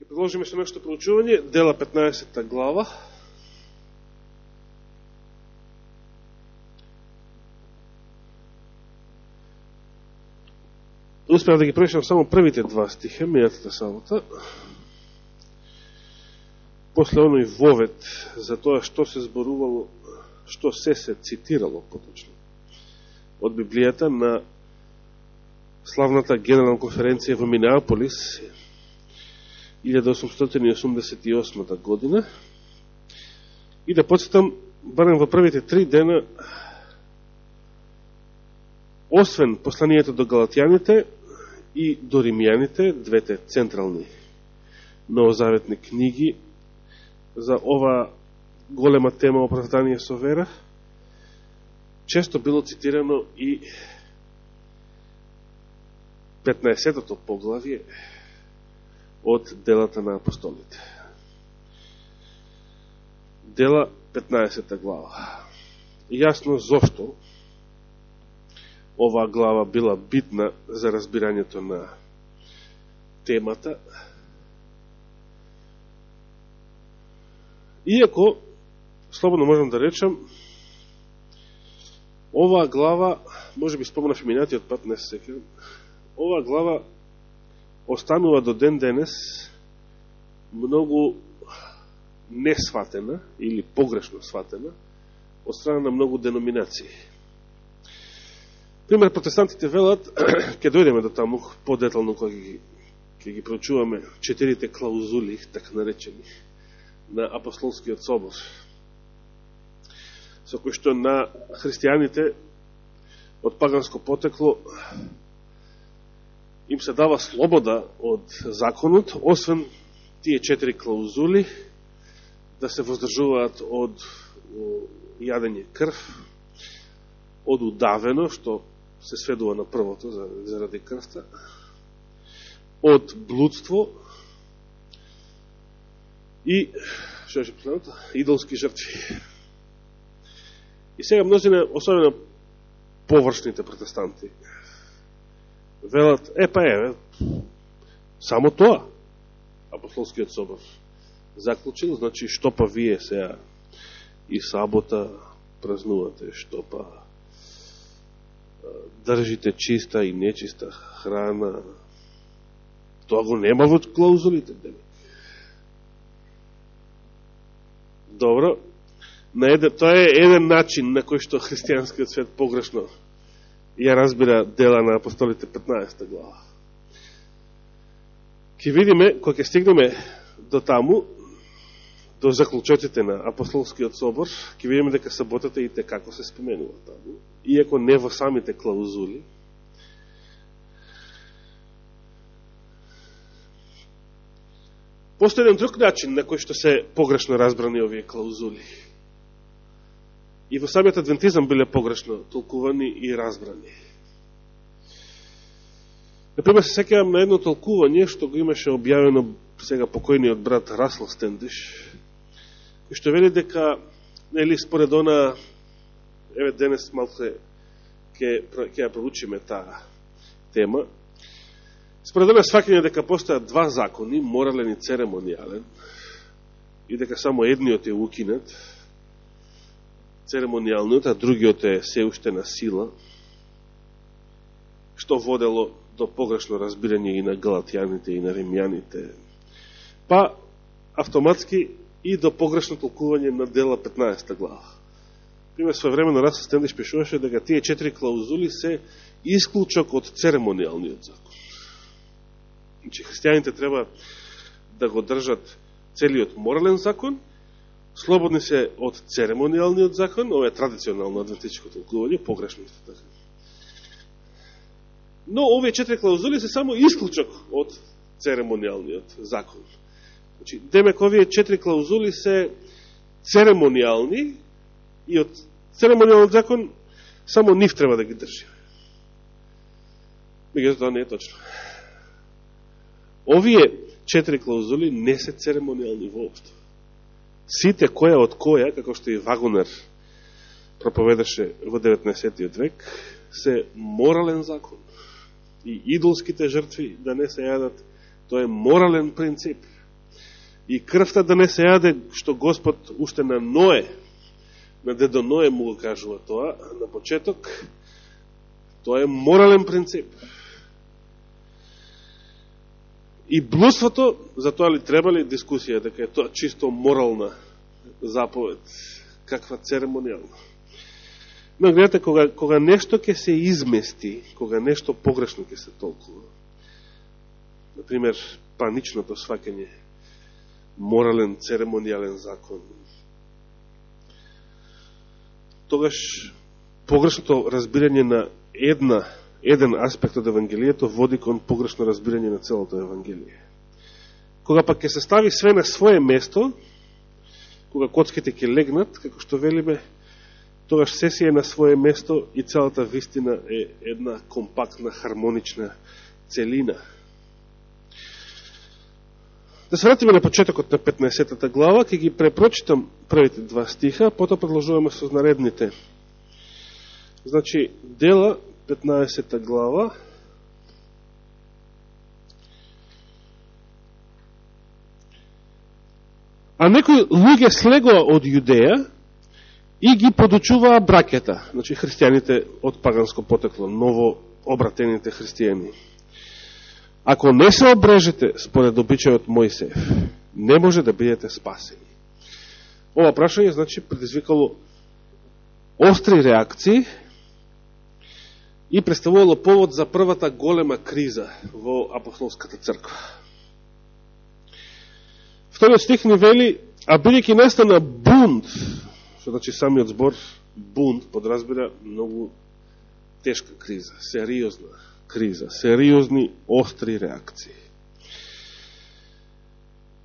Ќе продолжиме со нашето проучување, дела 15 глава. Успеав да ги прочитам само првите два стиха, мејатата сабота. После оној вовет за тоа што се зборувало, што се цитирало поточно од Библијата на славната генерална конференција во Минеаполис 1888 година. И да подсетам, барем во првите 3 дена, освен посланието до галатјаните и до римјаните, двете централни новозаветни книги за ова голема тема оправдание со вера, често било цитирано и 15-тото поглавје од делата на апостолите. Дела 15 глава. Јасно зошто оваа глава била битна за разбирањето на темата. Иако, слободно можам да речам, оваа глава, може би спомнав и минатиот пат, не се секирам, оваа глава останува до ден денес многу несватена или погрешно сватена од страна на многу деноминации. Пример, протестантите велат, ќе дојдеме до таму подетално кога ќе ги проучуваме 4 клаузули, така наречени, на апостолскиот собор, со кој што на христијаните од паганско потекло им се дава слобода од законот, освен тие 4 клаузули, да се воздржуваат од јадење крв, од удавено, што се сведува на првото заради крвта, од блудство и, што е последното, идолски жртви. И сега мнозина, особено површните протестанти, велат, само тоа апостолскиот собор заклучил, значи што па вие сега и сабота празнувате, што па држите чиста и нечиста храна, тоа го нема во клаузулите. Добро, тоа е еден начин на кој што христијанскиот свет погрешно ја разбира дела на апостолите 15 глава. Ке видиме, кога ќе стигнеме до таму, до заклучоците на апостолскиот собор, ќе видиме дека саботата и како се споменува таму, иако не во самите клаузули. Постои еден друг начин на кој што се погрешно разбрани овие клаузули. И во самиот адвентизам биле погрешно толкувани и разбрани. Например, се сеќавам на едно толкување што го имаше објавено сега покојниот брат Расл Стендиш, кој што вели дека, нели, според она, еве денес малку ќе ја проучиме таа тема, според она сваќање дека постојат два закони, морален и церемонијален, и дека само едниот е укинат, церемонијалниот, а другиот е се уште на сила, што водело до погрешно разбирање и на галатјаните и на римјаните, па автоматски и до погрешно толкување на дела 15 глава. Пример, своевремено Расл Стендиш пишуваше дека тие 4 клаузули се исклучок од церемонијалниот закон. Значи, христијаните треба да го држат целиот морален закон, слободни се од церемонијалниот закон, ова е традиционално адвентичко толкување, погрешно исто така. Но овие 4 клаузули се само исклучок од церемонијалниот закон. Значи, демек овие 4 клаузули се церемонијални и од церемонијалниот закон само нив треба да ги држи. Меѓутоа тоа не е точно. Овие 4 клаузули не се церемонијални воопшто. Сите која од која, како што и Вагонер проповедаше во 19. век, се морален закон. И идолските жртви да не се јадат, тоа е морален принцип. и крвта да не се јаде, што Господ уште на Ное, на дедо Ное му го кажува тоа, на почеток, тоа е морален принцип. И блудството, за тоа ли требали дискусија, дека е тоа чисто морална заповед, каква церемонијална. Но гледате, кога нешто ќе се измести, кога нешто погрешно ќе се толкува, например, паничното сваќање, морален, церемонијален закон, тогаш погрешното разбирање на еден аспект од Евангелието води кон погрешно разбирање на целото Евангелие. Кога пак ќе се стави све на свое место, кога коцките ќе легнат, како што велиме, тогаш се си е на свое место и целата вистина е една компактна, хармонична целина. Да се вратиме на почетокот на 15-та глава, ќе ги препрочитам првите два стиха, потоа продолжуваме со наредните. Значи, Дела, 15-та глава, а некои луѓе слегоа од Јудеја и ги подучуваа браќата, значи христијаните од паганско потекло, ново обратените христијани. Ако не се обрежете според обичајот Мојсеев, не може да бидете спасени. Ова прашање, значи, предизвикало остри реакции и представувало повод за првата голема криза во апостолската црква. Вториот стих ни вели, а бидејќи настана бунт, што значи самиот збор бунт подразбира многу тешка криза, сериозна криза, сериозни остри реакции.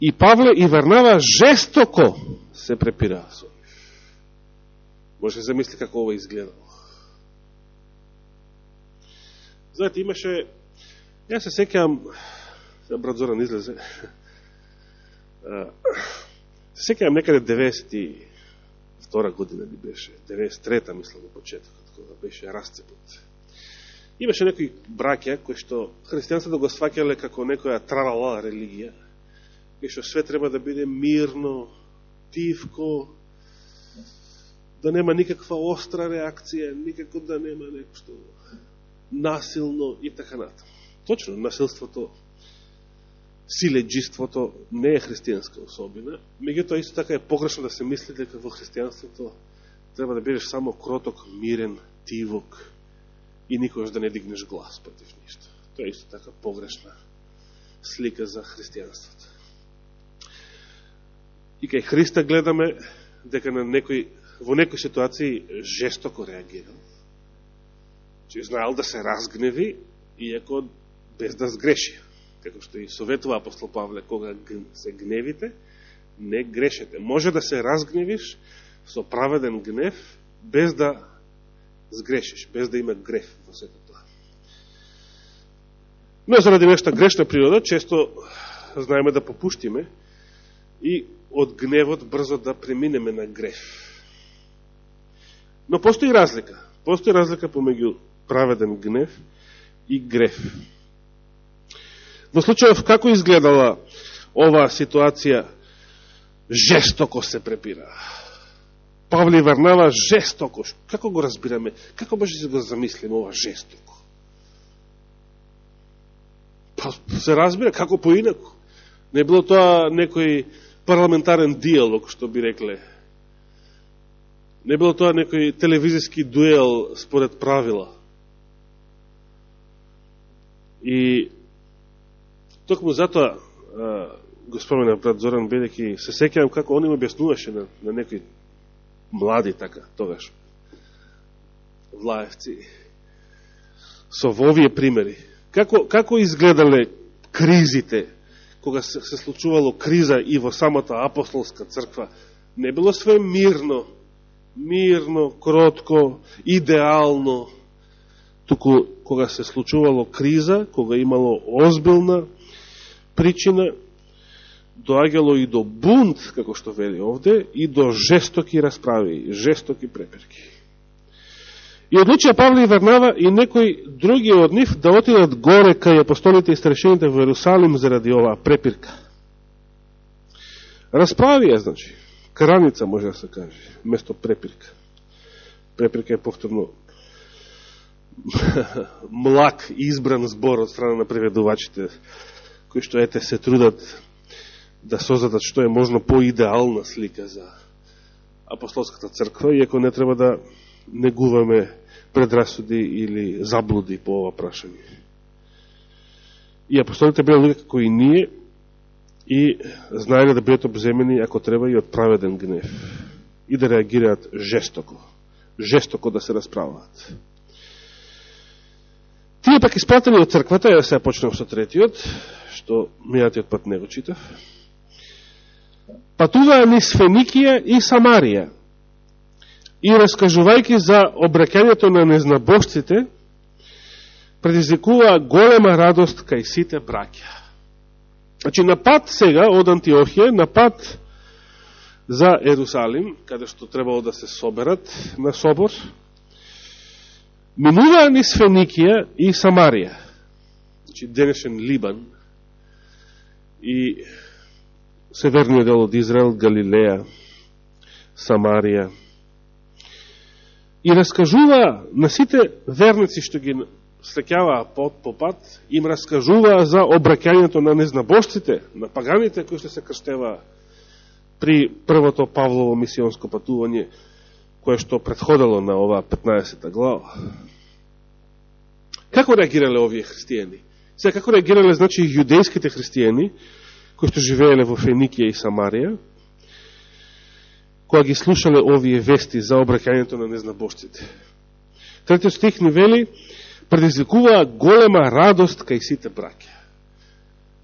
И Павле и Варнава жестоко се препираа со нив. Може да се замисли како ова изгледало. Знаете, имаше, ја се сеќавам, брат Зоран излезе, се сеќавам некаде 92 година ли беше, 93-та мислам во почетокот, кога беше расцепот. Имаше некои браќа кои што христијанството го сваќале како некоја тралала религија, и што све треба да биде мирно, тивко, да нема никаква остра реакција, никако да нема нешто насилно и така натаму. Точно, насилството, силеџиството не е христијанска особина, меѓутоа исто така е погрешно да се мисли дека во христијанството треба да бидеш само кроток, мирен, тивок и никогаш да не дигнеш глас против ништо. Тоа е исто така погрешна слика за христијанството. И кај Христа гледаме дека на во некои ситуации жестоко реагирал. Че знаел да се разгневи, иако без да сгреши. Како што и советува апостол Павле, кога се гневите, не грешете. Може да се разгневиш со праведен гнев, без да сгрешиш, без да има греф во сето тоа. Но заради нешта грешна природа, често знаеме да попуштиме и од гневот брзо да преминеме на греф. Но постои разлика. Постои разлика помеѓу праведен гнев и греф. Во случајов како изгледала оваа ситуација, жестоко се препира. Павле и Варнава жестоко. Како го разбираме? Како може да го замислиме ова жестоко? Па се разбира, како поинако. Не било тоа некој парламентарен диалог, што би рекле. Не било тоа некој телевизиски дуел според правила. И токму затоа го спомена брат Зоран, бидејќи се сеќавам како он им објаснуваше на некои млади така, тогаш влаевци, со овие примери. Како изгледале кризите, кога се случувало криза и во самата апостолска црква, не било све мирно, кротко, идеално, туку кога се случувало криза, кога имало озбилна причина, доаѓало и до бунт, како што вели овде, и до жестоки расправи, жестоки препирки. И одлучија Павле и Варнава и некои други од нив да отидат горе кај апостолите и старешините во Ерусалим заради оваа препирка. Расправија, значи, краница може да се каже, место препирка. Препирка е повторно млак избран збор од страна на преведувачите, кои што ете се трудат да создадат што е можно по-идеална слика за апостолската црква, иако не треба да негуваме предрасуди или заблуди по ова прашање. И апостолите биле луѓе како и ние и знаеле да бидат обземени ако треба и од праведен гнев и да реагираат жестоко да се расправаат. Тие пак испратени од црквата, ја сега почнем со третиот, што мијатиот пат не го читав, патуваа низ Феникија и Самарија и раскажувајќи за обраќањето на незнабожците, предизвикуваа голема радост кај сите браќа. Значи, на пат сега од Антиохија, на пат за Ерусалим, каде што требало да се соберат на собор, минуваа низ Феникија и Самарија, значи денешен Либан и северниот дел од Израел, Галилеја, Самарија, и раскажуваа на сите верници што ги среќаваа по пат, им раскажуваа за обраќањето на незнабожците, на паганите кои што се крштеваа при првото Павлово мисионско патување, кое што предходело на оваа 15 глава. Како реагирале овие христијани? Сега, како реагирале, значи, јудејските христијани, кои што живееле во Феникија и Самарија, кога ги слушале овие вести за обраќањето на незнабожците? Третиот стих ни вели, предизвикуваа голема радост кај сите браќа.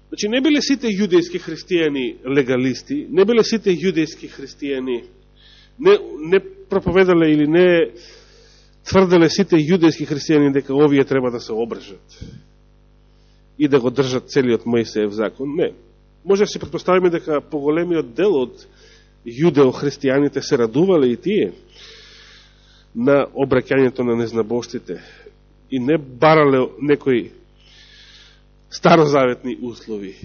Значи, не биле сите јудејски христијани легалисти, не биле сите јудејски христијани, не проповедале или не тврделе сите јудејски христијани дека овие треба да се обрежат и да го држат целиот Мојсеев закон. Не. Може да си предпоставиме дека поголемиот дел од јудео-христијаните се радувале и тие на обраќањето на незнабожците и не барале некои старозаветни услови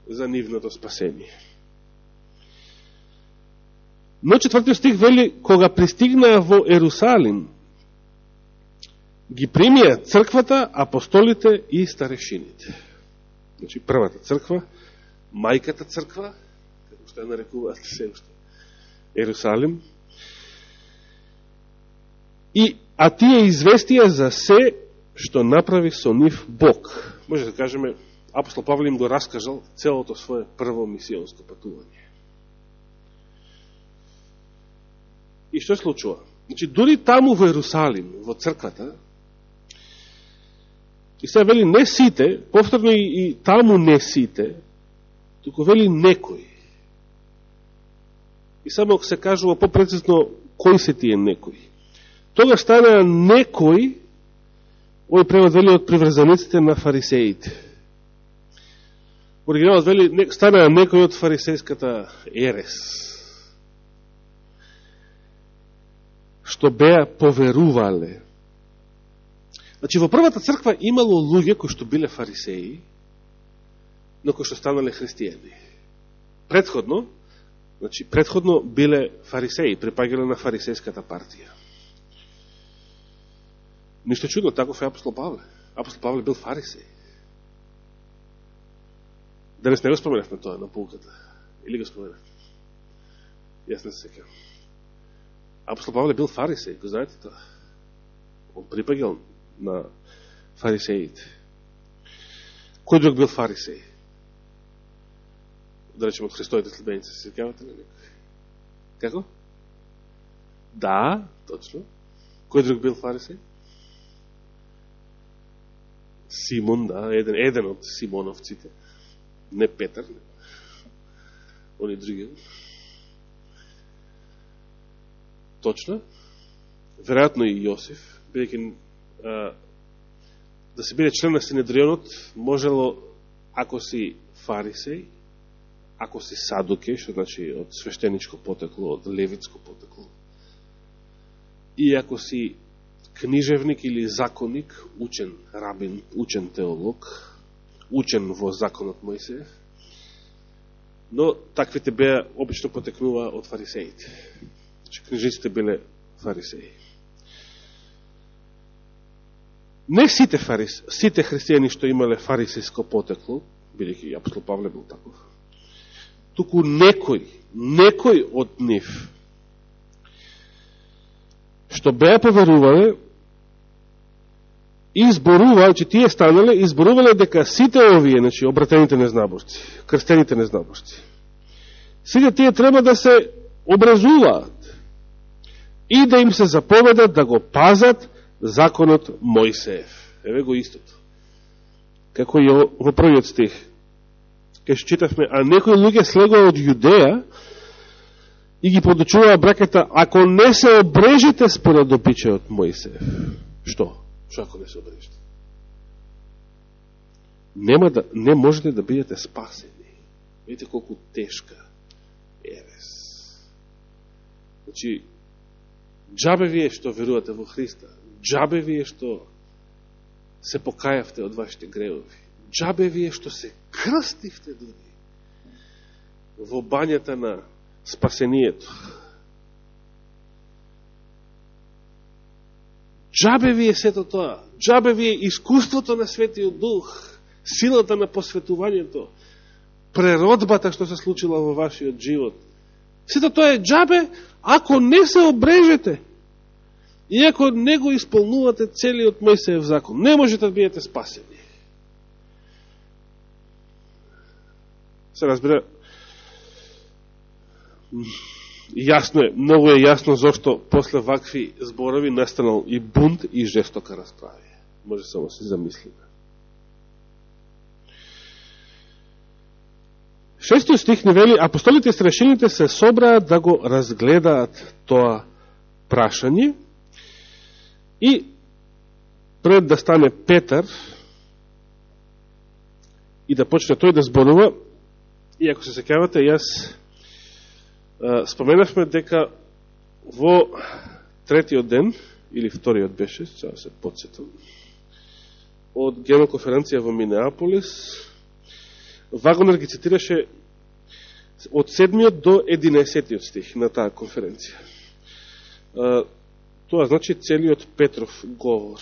за нивното спасение. Но четвртиот стих вели, кога пристигнаа во Ерусалим, ги примија црквата, апостолите и старешините. Значи, првата црква, мајката црква, како што ја нарекуваат се уште, Ерусалим, а тие известија за се што направи со нив Бог. Може да кажеме, апостол Павле им го раскажал целото свое прво мисионско патување. И што случува? Значи, дури таму во Ерусалим, во црквата, и сега вели не сите, повторно и таму не сите, туку вели некои. И само се кажува попрецизно кои се тие некои. Тога стана некои, овој превод вели од приврзаниците на фарисеите. Оригиналот вели стана некои од фарисејската ерес, што беа поверувале. Значи, во првата црква имало луѓе кои што биле фарисеи, но кои што станале христијани. Предходно биле фарисеи, припаѓале на фарисејската партија. Ништо чудно, таков е апостол Павле. Апостол Павле бил фарисеј. Денес не го споменавме тоа на пулката. Или го споменавме? Јас не се сеќавам. Апостол Павле бил фарисеј, го знаете тоа? Он припаѓал на фарисеите. Кој друг бил фарисеј? Да речем од Христоите следбеници, се сеќавате ли некој? Како? Да, точно. Кој друг бил фарисеј? Симон, да, еден од Симоновците. Не Петар, не. Они други. Точно. Веројатно и Јосиф, бидејќи да се биде член на Синедрионот, можело, ако си фарисеј, ако си садукеј, што значи од свештеничко потекло, од левитско потекло, и ако си книжевник или законник, учен рабин, учен теолог, учен во законот Мојсеев, Но таквите беа обично потекнуваа од фарисеите. Значи, книжниците биле фарисеи. Не сите христијани што имале фарисејско потекло, бидејќи и апостол Павле бил таков, туку некој од нив што беа поверувале и изборуваа, че тие станале, изборувале дека сите овие, значи обратените незнаборци, крстените незнаборци, сите тие треба да се образуваат и да им се заповедат да го пазат законот Мојсеев. Еве го истото. Како и во првиот стих. Кај што читавме, а некои луѓе слегоа од Јудеја и ги подучуваа браката, ако не се обрежете според обичајот Мојсеев. Што? Што ако не се обрежете? Не можете да бидете спасени. Видите колку тешка ерес. Значи, џабе вие што верувате во Христа, џабе вие што се покајавте од вашите гревови, џабе вие што се крстивте дури во бањата на спасението. Џабе вие сето тоа, џабе вие искуството на Светиот Дух, силата на посветувањето, преродбата што се случила во вашиот живот. Сето тоа е џабе ако не се обрежете и ако не го исполнувате целиот Мојсеев закон. Не можете да бидете спасени. Се разбира, јасно е, многу е јасно зашто после вакви зборови настанал и бунт и жестока расправа. Може само се замислиме. 6 стих ни вели, апостолите и старешините се собраат да го разгледаат тоа прашање и пред да стане Петар и да почне тој да зборува, и ако се сеќавате, јас споменавме дека во третиот ден, или вториот беше, сега се подсетам, од геноконференција во Минеаполис, Вагонер ги цитираше од 7 до 11 стих на таа конференција. Тоа значи целиот Петров говор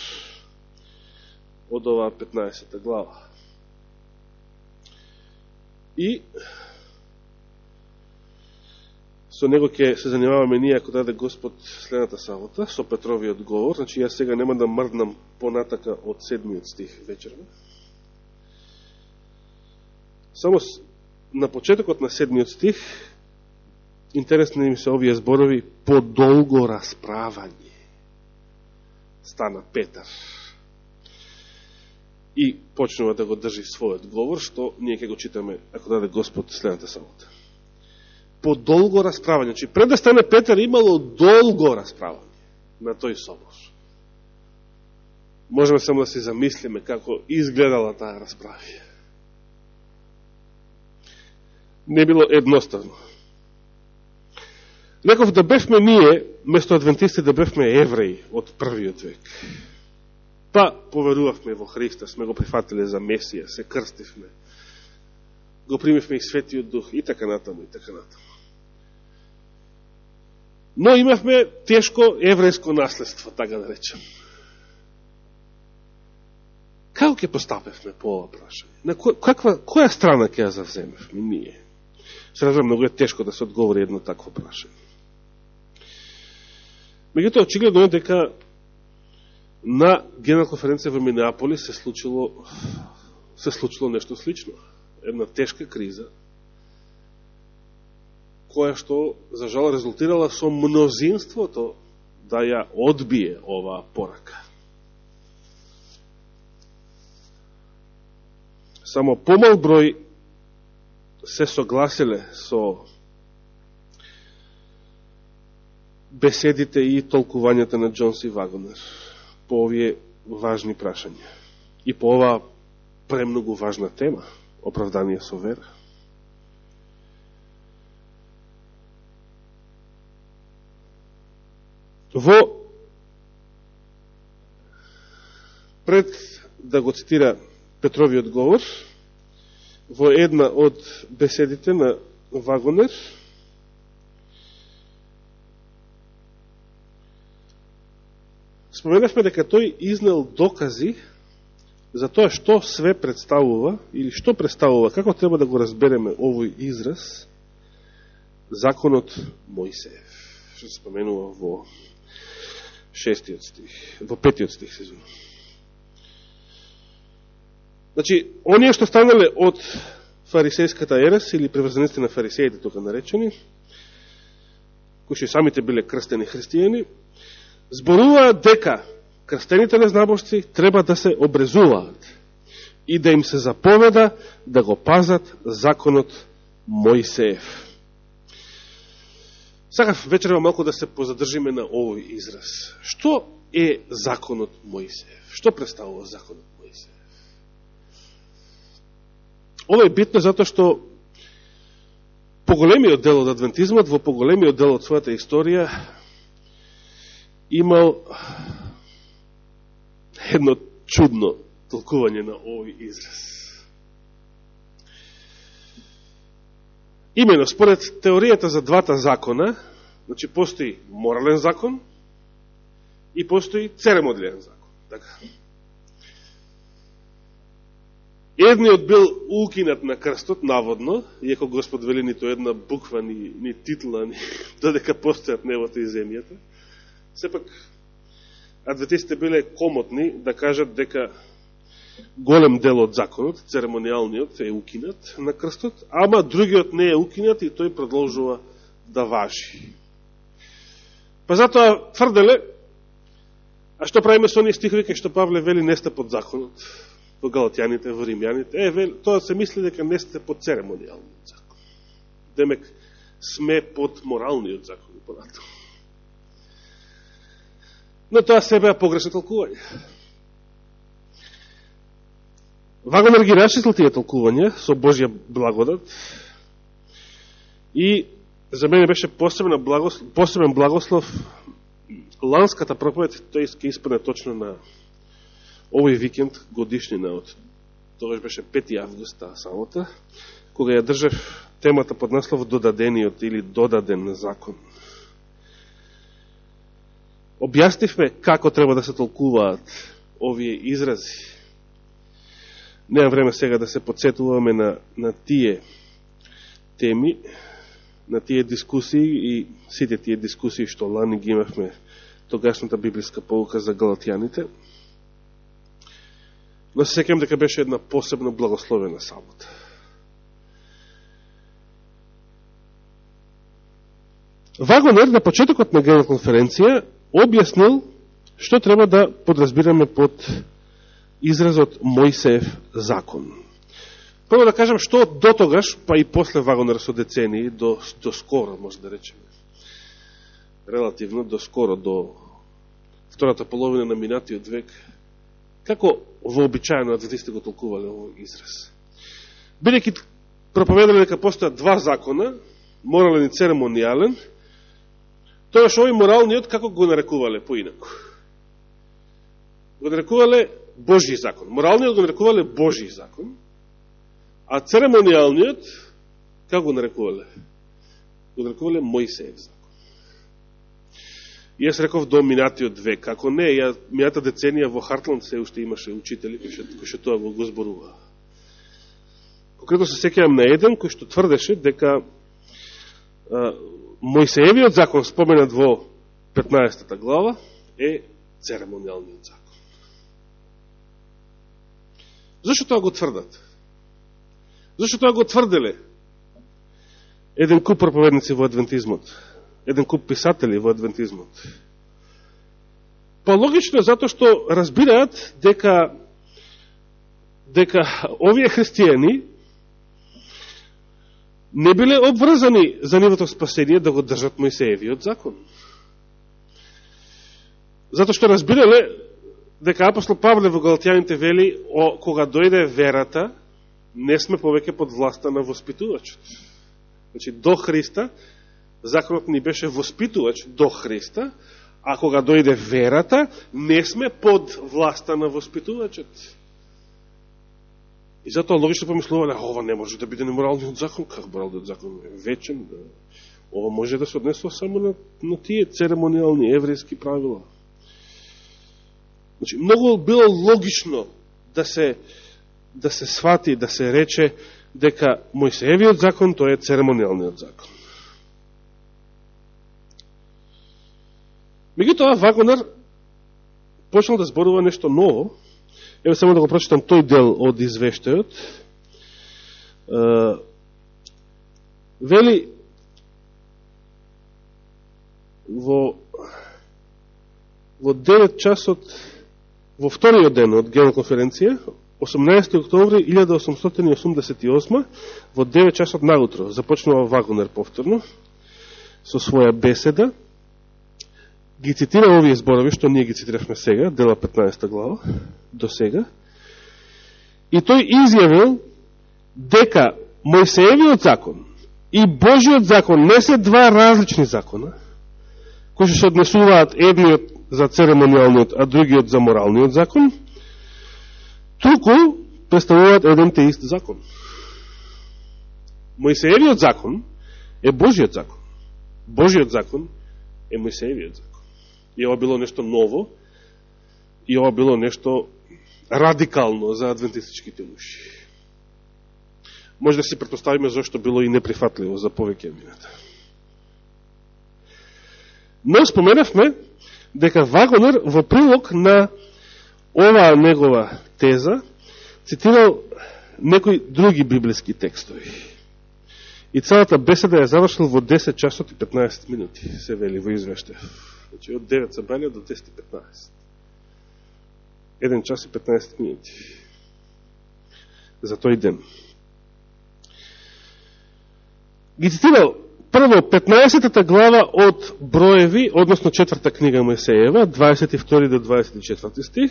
од оваа 15 глава. И со него ќе се занимаваме ние, ако даде Господ, следната сабота, со Петровиот говор. Значи, јас сега нема да мрднам понатака од 7 стих вечерно. Само на почетокот на 7 стих, интересни ми се овие зборови, по долго расправање стана Петар. И почнува да го држи својот говор, што ние ќе го читаме, ако даде Господ, следната сабота. По долго расправање. Значи, пред да стане Петар, имало долго расправање на тој собор. Можеме само да се замислиме како изгледала таа расправа. Не било едноставно. Реков да бевме ние, место адвентисти, да бевме евреи од првиот век. Па поверувавме во Христа, сме го прифатиле за Месија, се крстивме, го примивме и Светиот Дух, и така натаму, и така натаму. Но имавме тешко еврејско наследство, така да речем. Како ќе постапевме по ова прашање? На која страна ќе ја завземевме ние? Се разбира, многу е тешко да се одговори едно такво прашање. Меѓутоа, очигледно е дека на Генерална конференција во Минеаполис се случило нешто слично. Една тешка криза, која што, за жал, резултирала со мнозинството да ја одбие оваа порака. Само помал број се согласиле со беседите и толкувањата на Джонс и Вагонер по овие важни прашања и по оваа премногу важна тема, оправдание со вера. Пред да го цитира Петровиот говор, во една од беседите на Вагонер, споменавме дека тој изнел докази за тоа што све представува, или што представува, како треба да го разбереме овој израз, законот Мојсеев, што се споменува во 6 стих, во 5 стих, се зove. Значи, оние што станале од фарисејската ерес, или приврзаници на фарисеите, тука наречени, кои што самите биле крстени христијани, зборуваат дека крстените незнабожци треба да се обрезуваат и да им се заповеда да го пазат законот Мојсеев. Сакав вечерва малку да се позадржиме на овој израз. Што е законот Мојсеев? Што представува законот Мојсеев? Ова е битно затоа што поголемиот дел од адвентизмот, во поголемиот дел од својата историја, имал едно чудно толкување на овој израз. Имено, според теоријата за двата закона, значи постои морален закон и постои церемонијален закон. Така. Едниот бил укинат на крстот, наводно, иако Господ вели нито една буква, ни титла, ни додека постојат небото и земјата. Сепак, адвентистите биле комотни да кажат дека голем дел од законот, церемонијалниот, е укинат на крстот, ама другиот не е укинат и тој продолжува да важи. Па затоа тврделе, а што правиме со оние стихови кај што Павле вели не сте под законот, во Галатјаните, во Римјаните, тоа се мисли дека не сте под церемонијалниот закон. Демек, сме под моралниот закон, понатаму. Но тоа себе е погрешно толкување. Вагонер ги расчислил тие толкувања со Божја благодат и за мене беше посебен благослов ланската проповед, тој ќе испадне точно на овој викенд, годишнина од тогаш беше 5 август самота, кога ја држав темата под наслов додадениот или додаден закон. Објаснивме како треба да се толкуваат овие изрази. Немам време сега да се подсетуваме на тие теми, на тие дискусии и сите тие дискусии што лани ги имавме тогашната библиска поука за галатјаните. Но се сеќавам дека беше една посебно благословена сабота. Вагонер на почетокот на Генерална конференција објаснил што треба да подразбираме под изразот Мојсеев закон. Прво да кажам што до тогаш, па и после Вагонер со децении, до скоро, може да речеме, релативно до скоро, до втората половина на минатиот век, како вообичаено адвентистите го толкувале овој израз. Бидејќи проповедале дека постојат два закона, морален и церемонијален, тоаш овој моралниот како го нарекувале поинаку? Го нарекувале Божји закон. Моралниот го нарекувале Божји закон, а церемонијалниот како го нарекувале? Го нарекувале Мојсеев закон. И јас реков до минатиот век, како не, мината деценија во Хартланд се уште имаше учители кои што тоа го зборува. Конкретно се сеќавам на еден кој што тврдеше дека Мојсеевиот закон споменат во 15 глава е церемонијалниот закон. Зашто тоа го тврдат? Зашто тоа го тврделе еден куп проповедници во адвентизмот, еден куп писатели во адвентизмот? Па логично е затоа што разбираат дека овие христијани не биле обврзани за нивото спасение да го држат Мојсеевиот закон. Затоа што разбирале дека апостол Павле во Галатјаните вели, кога дојде верата, не сме повеќе под власта на воспитувачот. Значи, до Христа, законот ни беше воспитувач до Христа, а кога дојде верата, не сме под власта на воспитувачот. И затоа логично помислувале, ова не може да биде неморалниот закон, како моралниот закон е вечен, да. Ова може да се однесува само на тие церемониални еврејски правила. Значи, многу било логично да се свати, да се рече дека Мојсеевиот закон, тој е церемониалниот закон. Меѓутоа, Вагонер почнал да зборува нешто ново. Ево само да го прочитам тој дел од извештајот. Вели, во 9 часот, во вториот ден од Генерална конференција, 18. октомври 1888, во 9 часот наутро, започнува Вагонер повторно, со своја беседа, ги цитира овие зборови, што ние ги цитиравме сега, дела 15 глава, до сега, и тој изјавил дека Мојсеевиот закон и Божиот закон не се два различни закона, кои се однесуваат едниот за церемониалниот, а другиот за моралниот закон, туку представуваат еден те ист закон. Мојсеевиот закон е Божиот закон. Божиот закон е Мојсеевиот закон. И ова било нешто ново, и ова било нешто радикално за адвентистичките уши. Може да си претпоставиме зашто било и неприфатливо за повеќе мината. Но споменавме дека Вагонер во прилог на оваа негова теза цитирал некои други библиски текстови. И целата беседа ја завршил во 10 часот и 15 минути, се вели во извештај. Значи, од 9 собрани до 10 и 15. 1 час и 15 минути. За тој ден. Ги цитирал прво 15-та глава од Броеви, односно 4-та книга Мојсеева, 22 до 24 стих,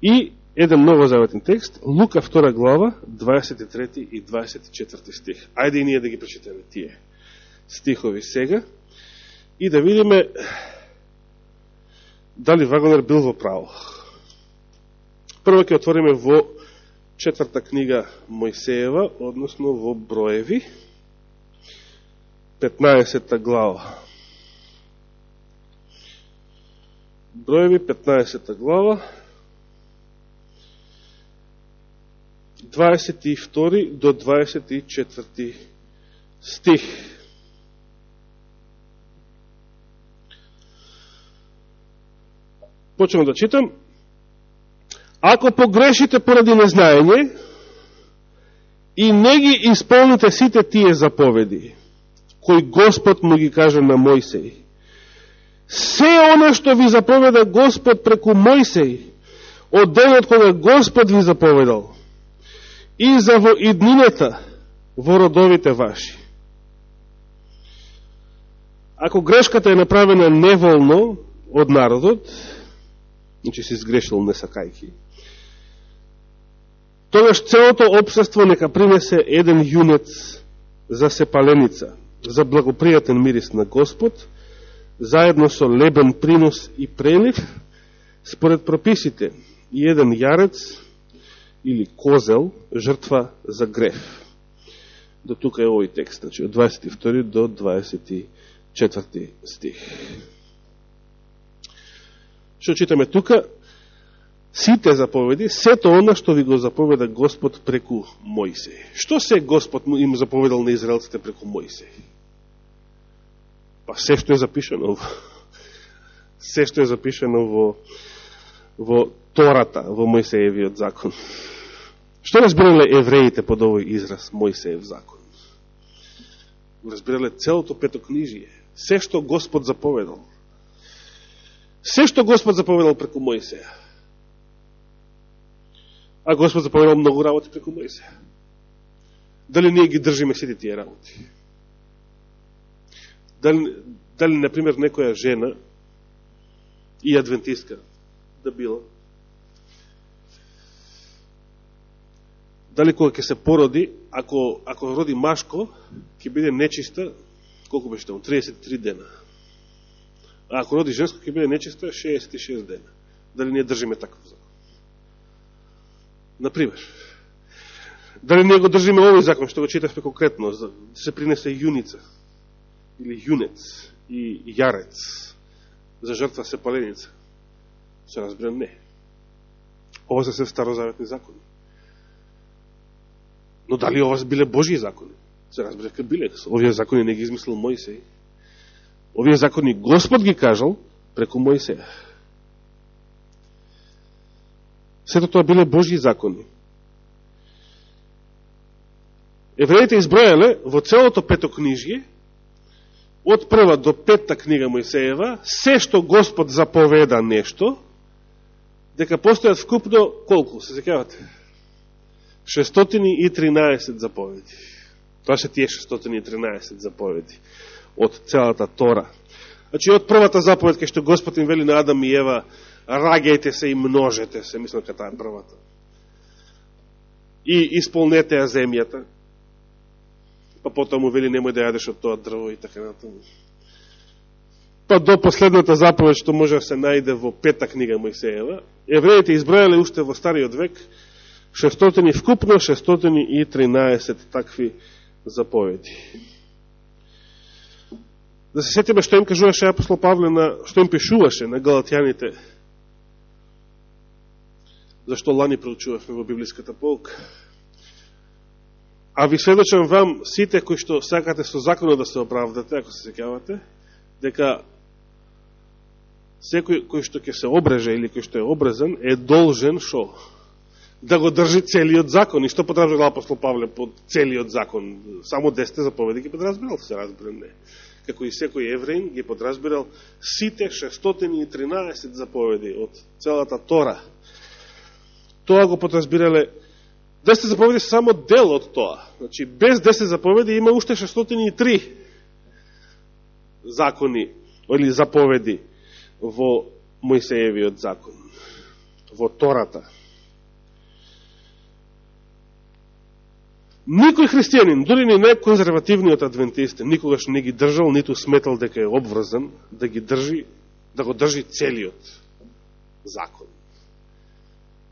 и еден новозаветен текст, Лука 2 глава, 23 и 24 стих. Ајде и ние да ги прочитаме тие стихови сега и да видиме дали Вагонер бил во право. Прво ќе отвориме во 4-та книга Мојсеева, односно во Броеви, 15 глава. Броеви, 15 глава, 22 до 24 стих. Почнем да читам. Ако погрешите поради незнаење и не ги исполните сите тие заповеди, кој Господ му ги каже на Мојсеј, се она што ви заповеда Господ преку Мојсеј, од денот кога Господ ви заповедал, и за во иднината во родовите ваши. Ако грешката е направена неволно од народот, значи си сгрешил несакајки, тогаш целото општество нека принесе еден јунец за сепаленица, за благопријатен мирис на Господ, заедно со лебен принос и прелив, според прописите, и еден јарец или козел, жртва за греф. До тука е овој текст, значи од 22 до 24 стих. Што читаме тука? Сите заповеди, сето она што ви го заповеда Господ преку Мојсеј. Што се Господ им заповедал на израелците преку Мојсеј? Па се што е запишено во Тората, во Мојсеевиот закон. Што разбирале евреите под овој израз Мојсеев закон? Разбирале целото петокнижие, се што Господ заповедал. Се што Господ заповедал преку Мојсеја. А Господ заповедал многу работи преку Мојсеја. Дали ние ги држиме сите тие работи? Дали, например, некоја жена и адвентистка да била, дали кога ќе се породи, ако роди машко, ќе биде нечиста, колку беше таму, 33 дена. А ако роди женско, ќе биде нечиста 66 дена. Дали ние држиме таков закон? Например. Дали не го држиме овој закон, што го читавме конкретно, да се принесе јуница, или јунец, и јарец, за жртва се паленица. Се разбира, не. Ова се се старозаветни закони. Но дали ова биле Божји закони? Се разбира, ка биле. Овие закони не ги измислил Мојсей. Овие закони Господ ги кажал преку Мојсеја. Сето тоа биле Божји закони. Евреите избројале во целото петокнижје, од прва до петта книга Мојсеева, се што Господ заповеда нешто, дека постојат вкупно колку, се сеќавате? 613 заповеди. Тоа се тие 613 заповеди од целата Тора. Значи, од првата заповед, кај што Господ им вели на Адам и Ева, раѓајте се и множете се, мислам дека таа е првата. И исполнете ја земјата. Па потоа му вели немој да јадеш од тоа дрво и така натаму. Па до последната заповед што може да се најде во пета книга Мојсеева, евреите избројале уште во Стариот век 600 вкупно 613 такви заповеди. Да се сетиме што им кажуваше апостол Павле, што им пишуваше на галатјаните, зашто лани проучувавме во библиската полка. А ви сведочам вам, сите кои што сакате со законот да се оправдате, ако се сеќавате, дека секој кој што ќе се обреже или кој што е обрезан е должен шо? Да го држи целиот закон. И што подразбирал апостол Павле под целиот закон? Само 10 заповеди ги подразбирал, се разбира, не. Како и секој евреин ги подразбирал сите 613 заповеди од целата Тора. Тоа го подразбирале. 10 заповеди се само дел од тоа. Значи, без 10 заповеди има уште 603 закони или заповеди во Мојсеевиот закон, во Тората. Никој христијанин, дури ни најконзервативниот адвентист, никогаш не ги држал, ниту сметал дека е обврзан да ги држи, да го држи целиот закон.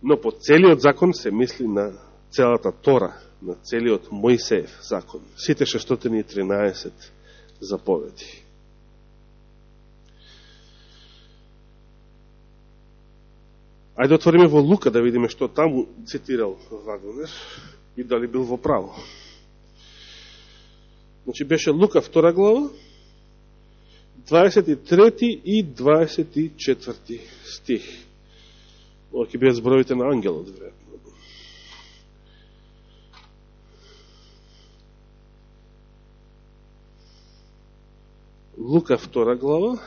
Но по целиот закон се мисли на целата Тора, на целиот Мојсеев закон. Сите 613 заповеди. Ајде отвориме во Лука да видиме што таму цитирал Вагнер и дали бил во право. Значи беше Лука 2 глава, 23 и 24 стих. Ова ќе бидат зборовите на ангелот, веројатно. Лука 2 глава,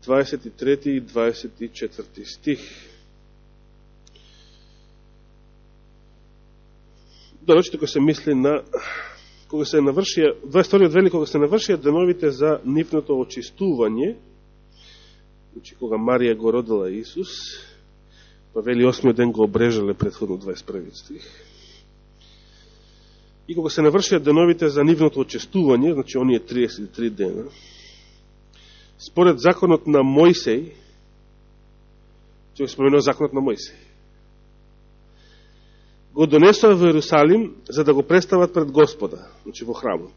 23 и 24 стих. Дорочите кога се мисли на кога се навршија 22 вели кога се навршија деновите за нивното очистување, значи кога Марија го родила Исус, па вели 8 ден го обрежале претходно 21 стих. И кога се навршија деновите за нивното очистување, значи оние 33 дена, според законот на Мојсей, ќе споменува законот на Мојсей, го донесува во Иерусалим за да го представат пред Господа, значи во храмот.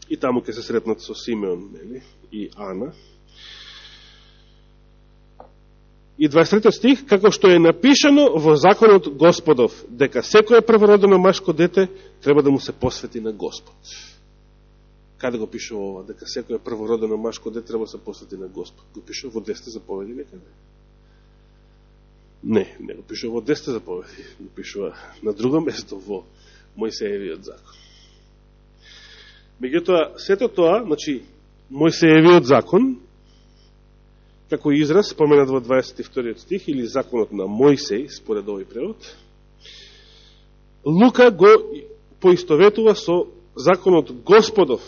И таму ќе се сретнат со Симеон, нели, и Ана. И 23 стих, како што е напишано во законот Господов, дека секој првородено машко дете треба да му се посвети на Господ. Каде го пишува ова? Дека секој првородено машко дете треба да се посвети на Господ. Го пишува во 10 заповеди некаде? Не, не го пишува во 10 заповеди. Го пишува на друго место во Мојсеевиот закон. Меѓутоа, сето тоа, значи, Мојсеевиот закон, како израз, споменат во 22 стих, или законот на Мојсей, според овој превод, Лука го поистоветува со законот Господов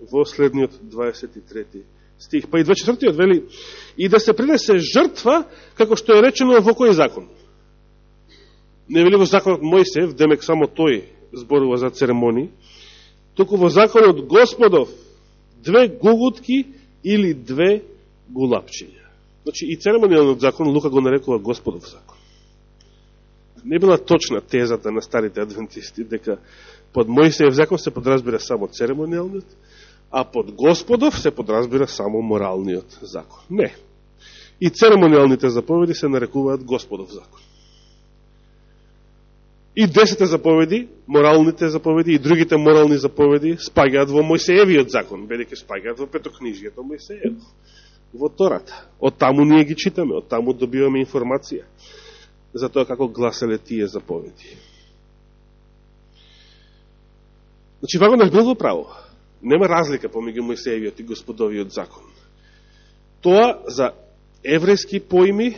во следниот 23 стих. Па и 24 вели, и да се принесе жртва, како што е речено во кој закон? Не вели во законот Мојсеев, демек само тој зборува за церемонии, туку во законот Господов 2 гугутки или 2 гулапчиња. Значи и церемонијалниот закон Лука го нарекува Господов закон. Не била точна тезата на старите адвентисти, дека под Мојсеев закон се подразбира само церемониалниот, а под Господов се подразбира само моралниот закон. Не. И церемониалните заповеди се нарекуваат Господов закон. И 10 заповеди, моралните заповеди и другите морални заповеди спагаат во Мојсеевиот закон, бидејќи спагаат во петокнижието Мојсеево, во Тората. Од таму ние ги читаме, од таму добиваме информација за тоа како гласеле тие заповеди. Значи, Вагонер бил во право. Нема разлика помеѓу Мојсеевиот и Господовиот закон. Тоа за еврејски поими,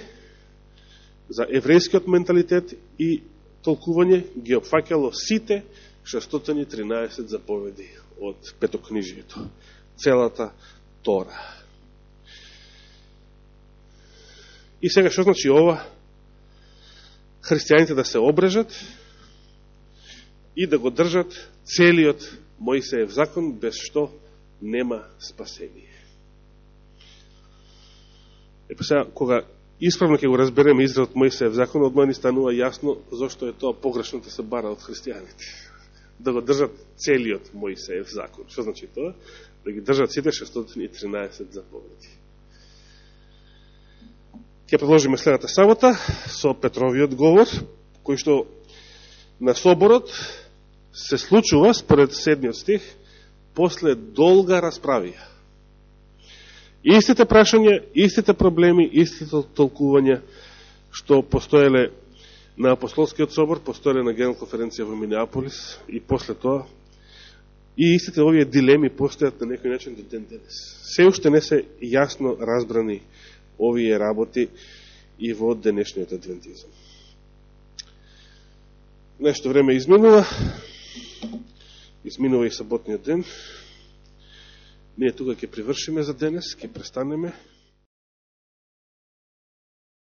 за еврејскиот менталитет и толкување ги опфаќало сите 613 заповеди од петокнижието. Целата Тора. И сега што значи ова? Христијаните да се обрежат и да го држат целиот Мојсеев закон, без што нема спасение. Епа сега, кога исправно ќе го разбереме изразот Мојсеев закон, одма ни станува јасно зашто е тоа погрешно да се бара од христијаните. Да го држат целиот Мојсеев закон. Што значи тоа? Да ги држат сите 613 заповеди. Ќе продолжиме следната сабота со Петровиот говор, кој што на соборот се случува, според 7 стих, после долга расправија. Истите прашања, истите проблеми, истите толкувања што постоеле на Апостолскиот собор, постоеле на Генерална конференција во Минеаполис и после тоа, и истите овие дилеми постојат на некој начин до ден денес. Се уште не се јасно разбрани овие работи и во денешниот адвентизам. Нешто време изминува и саботниот ден. Ние тука ќе привршиме за денес, ќе престанеме.